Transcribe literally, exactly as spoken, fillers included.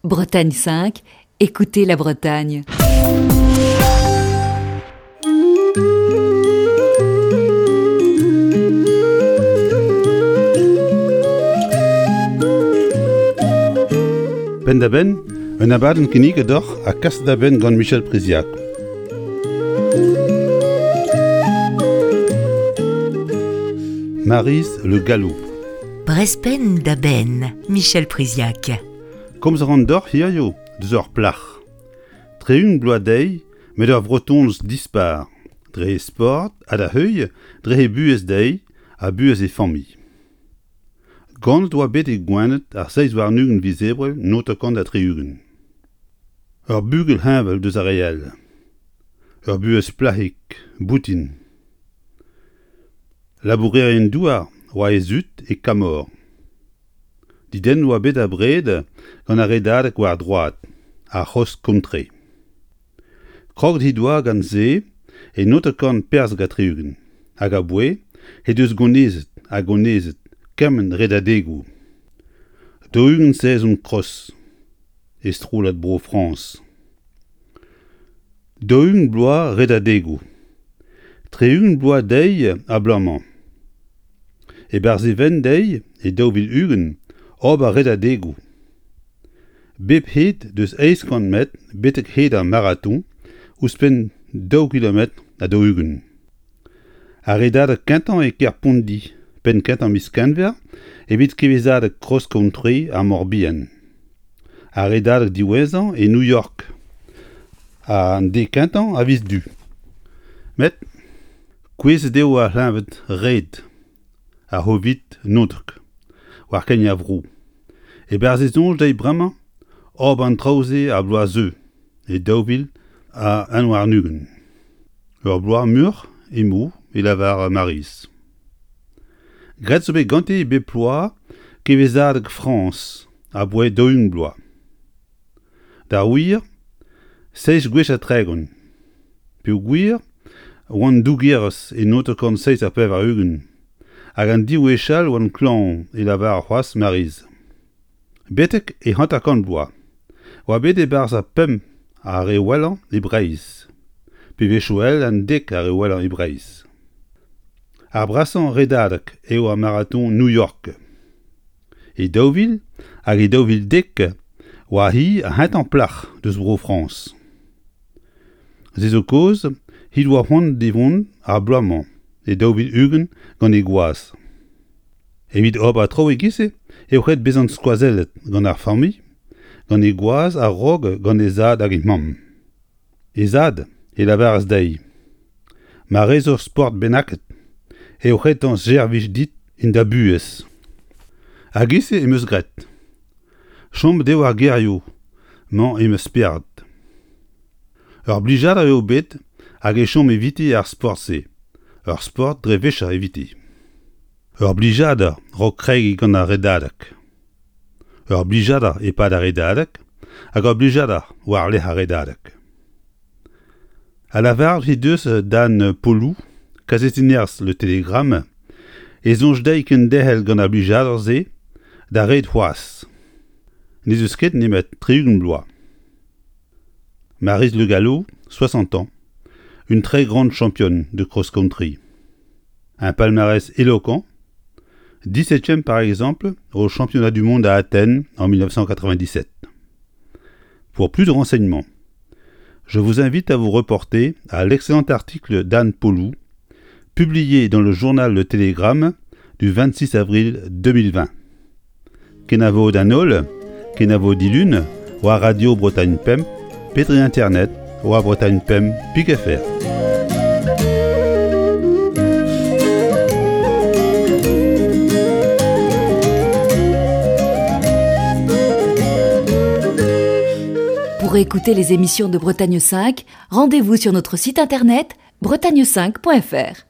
Bretagne cinq, écoutez la Bretagne. Penn-da-benn, un abadenn kinniget deoc'h ha kaset da benn gant Michel Priziac. Maryse Le Gallo. Brezh penn da benn, Michel Priziac. Komz a ran deoc'h hiziv deus ur plac'h. Tri-ugent bloaz dezhi, met ur vretonez dispar, dre he sport ha da heuilh dre he buhez dezhi ha buhez he familh. Ganet oa bet e Gwened ar seizh warn-ugent viz Ebrel naontek ha tri-ugent. Ur bugel heñvel deus ar re all. Ur buhez plac'hig, boutin. Labourerien-douar oa he zud e Kamor. Dedennet oa bet abred gant ar redadeg war droad, ar c'hross-country. Kroget he doa gant se e naontek pevarzek ha tri-ugent, hag aboae he deus gonezet ha gonezet kement redadegoù. Daou-ugent sezon cross e strollad Bro Frañs. Daou-ugent bloaz redadegoù. Tri-ugent bloaz dezhi ar bloaz-mañ. E-barzh e vent dezhi e daou vil ugent ober redadegoù. Bep hed deus eizh kant metr betek hed ar maraton ouzhpenn daou kilometr ha daou-ugent. Ar redadeg kentañ e kêr Pondi, penn kentañ miz Genver, evit kevezadeg cross-country ar Mor-Bihan. Ar redadeg diwezhañ e New York, an deiz kentañ a viz Du. Met kouezhet eo ar c'hleñved red, ar C'hovid naontek, war kein ar vro. E-barzh e soñj dezhi bremañ ober an traoù-se ar bloaz zeu, e daou vil ha un warn-ugent. Ur bloaz muioc'h emañ e lavar Maryse. Graet zo bet ganti bep bloaz kevezadeg Frañs aboae daou-ugent bloaz. Da wir, seizh gwech ha tregont. Peogwir oan dougerez e naontek kant seizh ha pevar-ugent, hag an div wech all oan klañv e lavar c'hoazh Maryse. Betek e hanter-kant bloaz, oa bet e-barzh ar pemp ar re wellañ e Breizh, pe wechoù all an dek ar re wellañ e Breizh. Ar brasañ redadeg eo ar maraton New York. E daou vil hag e daou vil dek oa hi ar c'hentañ plac'h deus Bro-Frañs. Se zo kaoz he doa c'hoant da vont ar bloaz-mañ e daou vil ugent gant he gwaz. Evit ober traoù e-giz-se eo ret bezañ skoazellet gant ar familh, gant he gwaz a-raok gant he zad hag he mamm. He zad e lavaras dezhi: Ma rez ur sport bennaket, eo retañ servij dit en da buhez. Hag e-se em eus graet. Chomet eo ar gerioù mañ em spered. Ur blijadur eo bet hag e chom eviti ar sport-se, ur sport dre vecher eviti. Ur blijadur 'raok kregiñ gant ar redadeg. Ur blijadur e-pad ar redadeg hag ur blijadur war-lerc'h ar redadeg. A lavaret he deus d'Anne Polou, kazetennerez Le Télégramme, e soñj dezhi kenderc'hel gant ar blijadur-se da red c'hoazh. N'ez eus ket nemet tri-ugent bloaz. Maryse Le Gallo, soixante ans, une très grande championne de cross-country. Un palmarès éloquent, dix-septième par exemple au championnat du monde à Athènes en mille neuf cent quatre-vingt-dix-sept. Pour plus de renseignements, je vous invite à vous reporter à l'excellent article d'Anne Polou, publié dans le journal Le Télégramme du vingt-six avril deux mille vingt. Kenavo d'an holl, kenavo dilun, war Radio Bretagne Pemp, Petri Internet, war Bretagne Pemp, Pic F R. Pour écouter les émissions de Bretagne cinq, rendez-vous sur notre site internet bretagne cinq point F R.